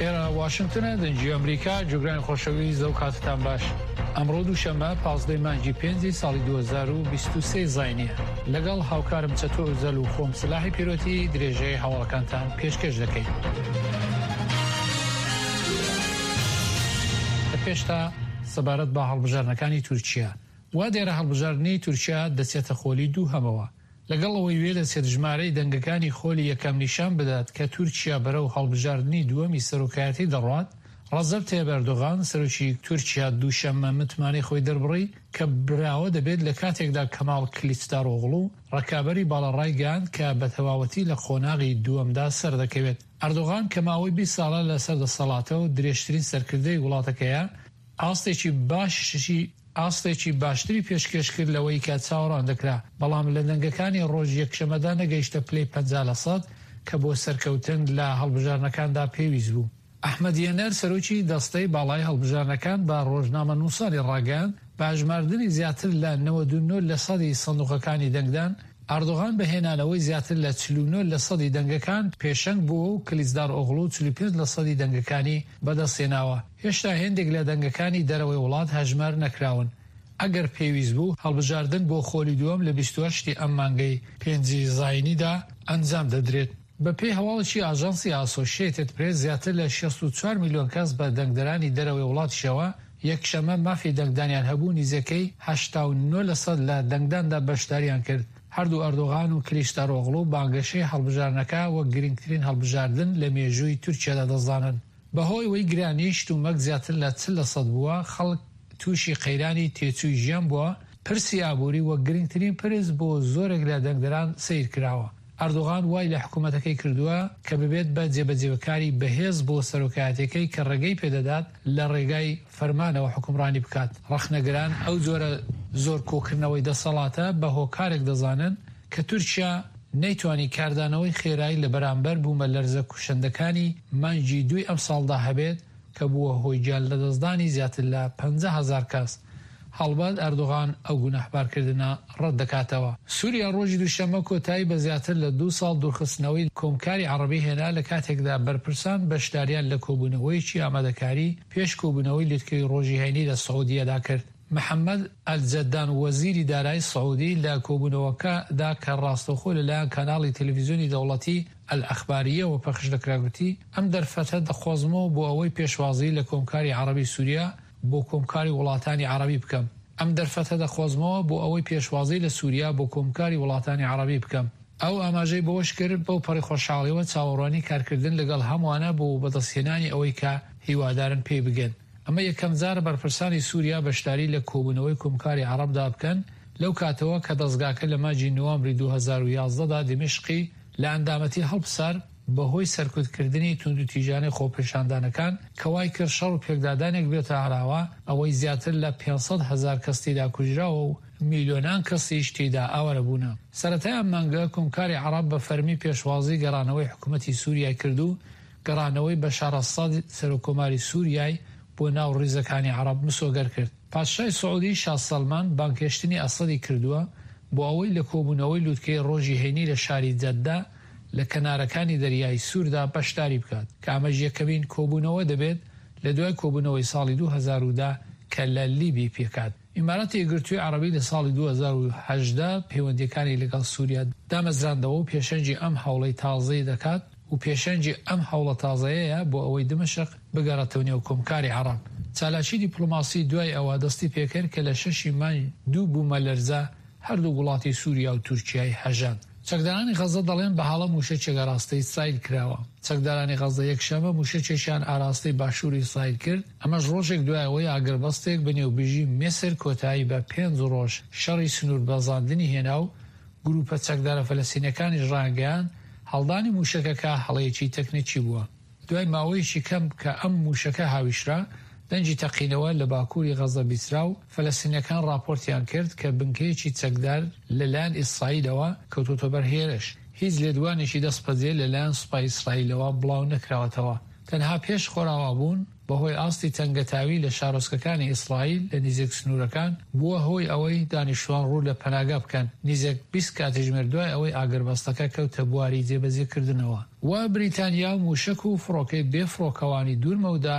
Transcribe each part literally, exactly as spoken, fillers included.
ئێرە واشنگتنە، دەنگی ئەمریکا. جوگرانی خۆشەویست، ئەو کاتتان باش. ئەمڕۆ دووشەممە پازدەی مانگی پێنجی ساڵی دوو هەزار و بیست و سێ زاینیە. لەگەڵ هاوکارم چەتۆ ئۆزەل و خۆم سلاحی پیرۆتی درێژەی هەواڵەکانتان پێشکەش دەکەین. لە پێشتا سەبارەت بە هەڵبژاردنەکانی تورکیا، وا دیارە هەڵبژاردنی تورکیا دەچێتە خۆلی دووهەمەوە. لەگەڵ ئەوەی وێ دەچێت ژمارەی دەنگەکانی خۆلی یەکەم نیشان بدات کە تورکیا بەرەو هەڵبژاردنی دووەمی سەرۆکایەتی دەڕوات، ڕەجەب تەیب ئەردۆغان سەرۆکی تورکیا دووشەممە متمانەی خۆی دەربڕی کە براوە دەبێت لە کاتێکدا کەماڵ کلیچدارۆغڵو ڕکابەری باڵا ڕایگەیاند کە بە تەواوەتی لە قۆناغی دووەمدا سەردەکەوێت. ئەردۆغان کە ماوەی بیست ساڵە لەسەر دەسەڵاتە و درێژترین سەرکردەی وڵاتەکەیە، ئاستێکی باشی ئاستێکی باشتری پێشکێش کرد لەوەی کە چاوەڕوان دەکرا، بەڵام لە دەنگەکانی ڕۆژ یەکشەمەدا نەگەیشتە پلەی پەنجا لە سەد کە بۆ سەرکەوتن لە هەڵبژاردنەکاندا پێویست بوو. ئەحمەد یەنەر سەرۆکی دەستەی باڵای هەڵبژاردنەکان بە ڕۆژنامە نووسانی ڕاگەیاند بە هەژماردنی زیاتر لە نەوەد و نۆ لە سەدی سندوقەکانی دەنگدان، ئەردۆغان بە هێنانەوەی زیاتر لە چل و نۆ لە سەدی دەنگەکان پێشەنگ بووە و کلیچدارئۆغڵو چل و پێنج لە سەدی دەنگەکانی بەدەستهێناوە. هێشتا هێندێک لە دەنگەکانی دەرەوەی وڵات هەژمار نەکراون. ئەگەر پێویست بوو هەڵبژاردن بۆ خۆلی دووەم لە بیست و هەشت ئەم مانگەی پێنجی زاینیدا ئەنجام دەدرێت. بە پێی هەواڵێکی ئاژانسی ئاسۆشیەتد پرێس زیاتر لە شەست و چوار میلیۆن کەس بە دەنگدەرانی دەرەوەی وڵاتیشەوە یەکشەممە مافی دەنگدانیان هەبوو، نزیکەی هەشتا و نۆ لەسەد لە دەنگداندا بەشداریان کرد. هەردوو ئەردۆغان و کلیچدارئۆغڵو بانگەشەی هەڵبژاردنەکە وەک گرنگترین هەڵبژاردن لە مێژووی تورکیادا دەزانن. بەهۆی ئەوەی گرانی شتومەک زیاتر لە چل لەسەد بووە، خەڵک تووشی قەیرانی تێچووی ژیان بووە، پرسی ئابووری وەک گرنگترین پرس بۆ زۆرێک لە دەنگدەران سەیر کراوە. ئەردۆغان وای لە حکوومەتەکەی کردووە کە ببێت بە جێبەجێکاری بەهێز بۆ سەرۆکایەتەکەی کە ڕێگەی پێدەدات لە ڕێگای فەرمانەوە حکومڕانی بکات. ڕەخنەگران ئەو جۆرە زۆر کۆکردنەوەی دەسەڵاتە بە هۆکارێک دەزانن کە تورکیا نەیتوانی کاردانەوەی خێرایی لە بەرامبەر بوومە لەرزە کوشندەکانی مانگی دووی ئەمساڵدا هەبێت کە بووە هۆی گیان لەدەستدانی زیاتر لە پەنجا هەزار کەس. هەڵبەت ئەردۆغان ئەو گوناهبارکردنە ڕەت دەکاتەوە. سووریا ڕۆژی دووشەممە کۆتایی بە زیاتر لە دوو ساڵ دوورخستنەوەی کۆمکاری عەرەبی هێنا لە کاتێکدا بەرپرسان بەشداریان لە کۆبوونەوەیەکی ئامادەکاری پێش کۆبوونەوەی لوتکەی ڕۆژی هەینی لە سعودیەدا کرد. محەممەد ئەلجەدان وەزیری دارایی سعودی لە کۆبوونەوەکەدا کە ڕاستەوخۆ لەلایەن کەناڵی تەلەڤیزیۆنی دەوڵەتی ئەلئەخباریەوە پەخش دەکرا گوتی ئەم دەرفەتە دەقۆزمەوە بۆ ئەوەی پێشوازی لە کۆمکاری عەرەبی سووریا بۆ کۆمکاری وڵاتانی عەرەبی بکەم. ئەم دەرفەتە دەقۆزمەوە بۆ ئەوەی پێشوازی لە سووریا بۆ کۆمکاری وڵاتانی عەرەبی بکەم. ئەو ئاماژەی بەوەش کرد بەو پەڕی خۆشحاڵیەوە چاوەڕوانی کارکردن لەگەڵ هەمووانە بۆ بەدەستهێنانی ئەوەی کە هیوادارن پێی بگەن. ئەمە یەکەم جارە بەرپرسانی سووریا بەشداری لە کۆبوونەوەی کۆمکاری عەرەبدا بکەن لەو کاتەوە کە دەستگاکە لە مانگی نوامبری دوو هەزار و یازدە دا دیمەشقی لە ئەندامەتی هەڵپسار بەهۆی سەرکوتکردنی توندوتیژانەی خۆپێشاندانەکان کە وای کرد شەڕ و پێکدادانێک بێتە ئاراوە، ئەوەی زیاتر لە پێنج سەد هەزار کەس تێدا کوژراوە و میلیۆنان کەسیش تێدا ئاوارە بوونە. سەرەتای ئەم مانگە کۆمکاری عەرەب بە فەرمی پێشوازی گەڕانەوەی حکوومەتی سووریای کرد و گەڕانەوەی بەشار ئەسەد سەرۆککۆماری سووریای بۆ ناو ڕیزەکانی عەرەب مسۆگەر کرد. پادشای سعودی شا سەلمان بانگهێشتنی ئەسەدی کردووە بۆ ئەوەی لە کۆبوونەوەی لوتکەی ڕۆژی هەینی لە شاری جەدە لە کەنارەکانی دەریای سووردا بەشداری بکات، کە ئەمەش یەکەمین کۆبوونەوە دەبێت لە دوای کۆبوونەوەی ساڵی دوو هەزار و دە کە لە لیبی پێکات. ئیماراتی یەکگرتووی عەرەبی لە ساڵی دوو هەزار و هەژدە پەیوەندیەکانی لەگەڵ سووریا دامەزراندەوە و پێشەنگی ئەم هەوڵەی تازەی دەکات و پێشەنگی ئەم هەوڵە تازەیەیە بۆ ئەوەی دمشق بگەڕێتەوە نێو کۆمکاری عەرەب. چالاکی دیپلۆماسی دوای ئەوە دەستی پێکرد کە لە شەشی مانگ دوو بوومەلەرزە هەردوو وڵاتی سووریا و تورکیای هەژاند. چەکدارانی غەزە دەڵێن بە هەڵە مووشەکێک ئاراستەی ئیسرائیل کراوە. چەکدارانی غەزە یەکشەممە مووشەکێکیان ئاراستەی باشووری ئیسرائیل کرد، ئەمەش ڕۆژێک دوای ئەوەی ئاگربەستێک بە نێوبژی میسر کۆتایی بە پێنج ڕۆژ شەڕی سنووربەزاندنی هێنا و گروپە چەکدارە فەلەستینەکانیش ڕایانگەیاند هەڵدانی مووشەکەکە هەڵەیەکی تەکنیکی بووە. دوای ماوەیەکی کەم کە ئەم مووشەکە هاویشرا، دەنگی تەقینەوە لە باکووری غەزە بیسترا و فەلەستینەکان ڕاپۆرتیان کرد کە بنکەیەکی چەکدار لەلایەن ئیسرائیلەوە کەوتۆتە بەر هێرش. هیچ لێدوانێکی دەستبەجێ لەلایەن سوپای ئیسرائیلەوە بڵاو نەکراوەتەوە. تەنها پێش خۆراوابوون بەهۆی ئاستی تەنگەتاوی لە شارۆچکەکانی ئیسرائیل لە نزیک سنوورەکان بووە هۆی ئەوەی دانیشتوان ڕوو لە پەناگا بکەن نزیک بیست کاتژمێر دوای ئەوەی ئاگربەستەکە کەوتە بواری جێبەجێکردنەوە. و بریتانیا موشک و فڕۆکەی بێ فڕۆکەوانی دوورمەودا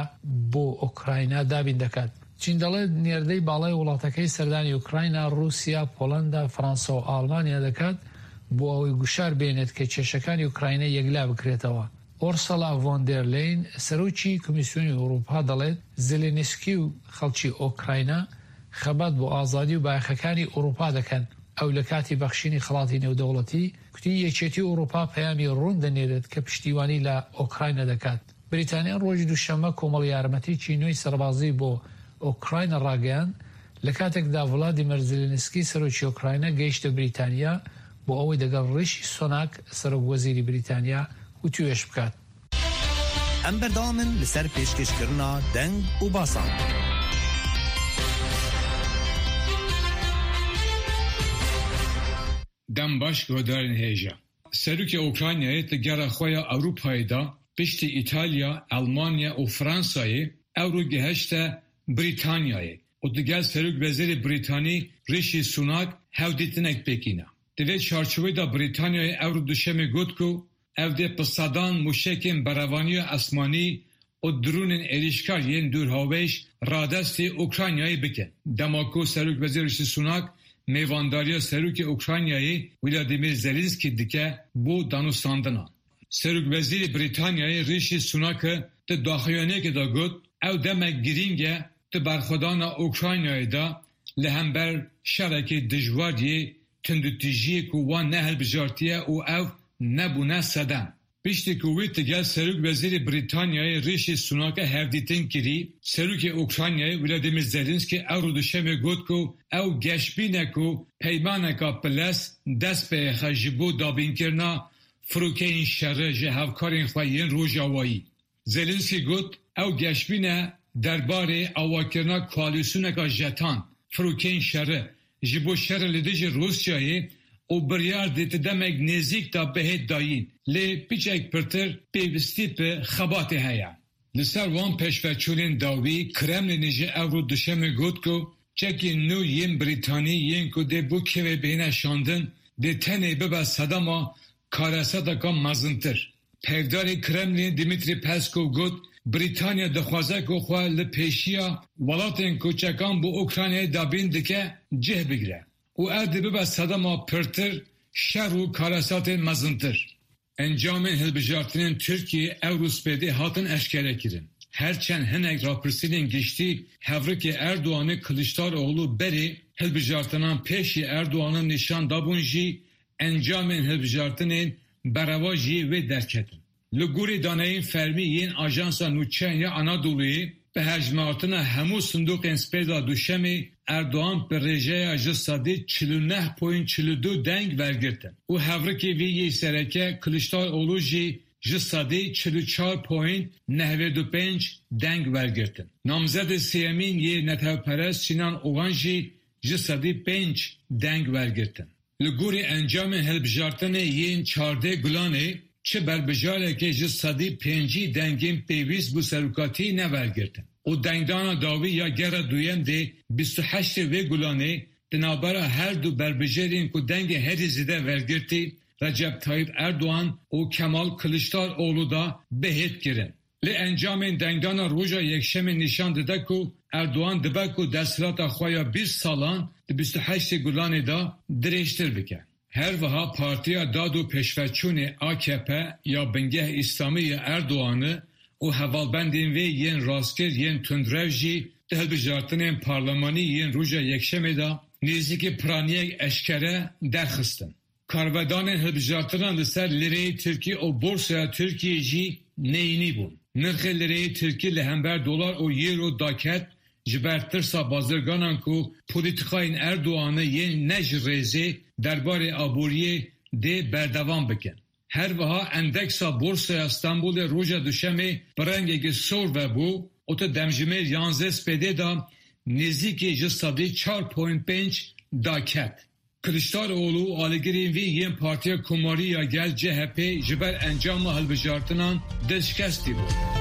بۆ ئۆکراینا دابین دەکات. چین دەڵێت نێردەی باڵای وڵاتەکەی سەردانی ئۆکراینا، رووسیا، پۆلندا، فەرەنسا و ئاڵمانیا دەکات بۆ ئەوەی گوشار بێنێت کە کێشەکانی ئۆکراینا یەکلا بکرێتەوە. ئۆرسەلا ڤۆن دێر لین سەرۆکی کۆمیسیۆنی ئەوروپا دەڵێت زێلێنسکی و خەڵکی ئۆکراینا خەبات بۆ ئازادی و بایەخەکانی ئەوروپا دەکەن. ئەو لە کاتی بەخشینی خەڵاتی نێودەوڵەتی کوتی یەکێتی ئەوروپا پەیامی ڕوون دەنێرێت کە پشتیوانی لە ئۆکراینا دەکات. بریتانیا ڕۆژی دووشەممە کۆمەڵ یارمەتیی نوێی سەربازی بۆ ئۆکراینا ڕاگەیاند لە کاتێکدا ڤلادیمیر زێلێنسکی سەرۆکی ئۆکراینا گەیشتە بریتانیا بۆ ئەوەی دەگەڵ ڕیشی سۆناک سەرۆک وەزیری بریتانیا وتوێژ بکات. ئەم بەردەوامن لەسەر پێشکەشکردنا دەنگ و باسان. دەم باش گۆدارên hêja. Serokê Ukraynayê di gera xwe ya Ewropayê de piştî Îtalya, Elmanya û Fransayê ewro gihişte Brîtanyayê û digel Serokwezîrê Brîtanî Rishi Sunak hevdîtinek pêk îne. Di vê çarçoveyê de Brîtanyayê ewro duşemê got ku ew dê bi sedan mûşekên berevaniya esmanî û dronên êrişkar yên dûrhavêj radestî Ukraynayê bikin. Dema ku Serokwezîr Rishi Sunak mêvandariya Serokê Ukraynayê Vladimir Zelenski dike bo danûstandinan. Serokwezîrê Brîtanyayê Rishi Sunak di daxuyaniyekê de got ew demek girîng e di berxwedana Ukraynayê de li hember şerekê dijwar yê tundûtûjiyê ku wan nehilbijartiye û ew nebûne sedem. Piştî ku wî digel Serokwezîrê Brîtanyayê Rishi Sunak hevdîtin kirî, Serokê Ukraynayê Vladimir Zelenski ewro duşemê got ku ew geşbîn e ku peymaneka bilez dest pê xixe ji bo dabînkirina firokeyên şerê ji hevkarên xwe yên rojavayî. Zelenski got ew geşbîn e derbarê avakirina koalîsyoneka jetan firokeyên şerê ji bo şerê li dijî Rûsyayê û biryar dê di demek nêzîk de bihê dayîn lê piçek pirtir pêwîstî bi xebatê heye. Li ser wan pêşveçûnên dawî Kremlinê jî ewro duşemê got ku çekên nû yên Brîtanî yên ku dê bo Kievê bêne şandin dê tenê bibe sedema karesateka mezintir. Peyvdarê Kremlinê Dmitri Peskov got Brîtanya dixwaze ku xwe li pêşiya welatên ku çekan bo Ukraynayê dabîn dike cih bigire û ev dê bibe sedema pirtir şer û karesatên mezintir. Encamên hilbijartinên Tirkiyeyê ewro spêdê hatin eşkerekirin. Her çend hinek rapirsînên giştî hevrikê Erdoğanê Kılıçdaroğlu berê hilbijartinan pêşî Erdoğan'ın nîşan dabûn jî encamên hilbijartinên berevajiyê wê derketin. Li gorî daneyên fermî yên Ajansa Nûçeyan ya Anadolu'yê bi hejmartina hemû sindoqên spêda duşemê Erdoğan bi rêjeya ji sedî çil û neh point çil û du deng wergirtin û hevrikê wî yê sereke Kılıçdaroğlu jî ji sedî çil û çar point nehved û pênc deng wergirtin. Namzedê sêyemîn yê netewperest Sinan Oğan jî ji sedî pênc deng wergirtin. Li gorî encamên hilbijartinê yên çardeh Gulanê çi berbijarekê ji sedî pêncî dengên pêwîst bû serokatî newergirtin. û dengdana dawî ya gera duyem dê bîst û heştê vê Gulanê di navbera her du berbijarên ku dengê herî zêde wergirtî Recep Tayyip Erdoğan û Kemal Kılıçdaroğlu da bihêt kirin. Lê encamên dengdana roja yekşemê nîşan dide ku Erdoğan dibe ku desthilata xwe ya bîst salan di bîst û heştê Gulanê de dirêjtir bike. Her wiha Partiya Dad û Pêşveçûnê A K P ya bingeh İslamî ya Erdoğan'ı û hevalbendên wê yên rastgir yên tundrev jî di hilbijartinên parlemanî yên roja yekşemê de nêzîkî piraniyek eşkere derxistin. Karvedanên hilbijartinan li ser lireyê Tirkî û borsaya Tirkiyê jî neyînî bûn. Nirxê lireyê Tirkî li hember dolar û euro daket ji ber tirsa bazirganan ku polîtîkayên Erdoğan'ı yên ne ji rêzê derbarê aboriyê dê berdewam bikin. Her wiha endeksa Borsaya Stenbolê roja duşemê bi rengekî sor vebû û di demjimêr yanzdeh spêdê de nêzîkî ji sedî çar point pênc daket. Kılıçdaroğlu alîgirên wî yên Partiya Komarî ya Gel C H P ji ber encama hilbijartinan dilşikestî bû.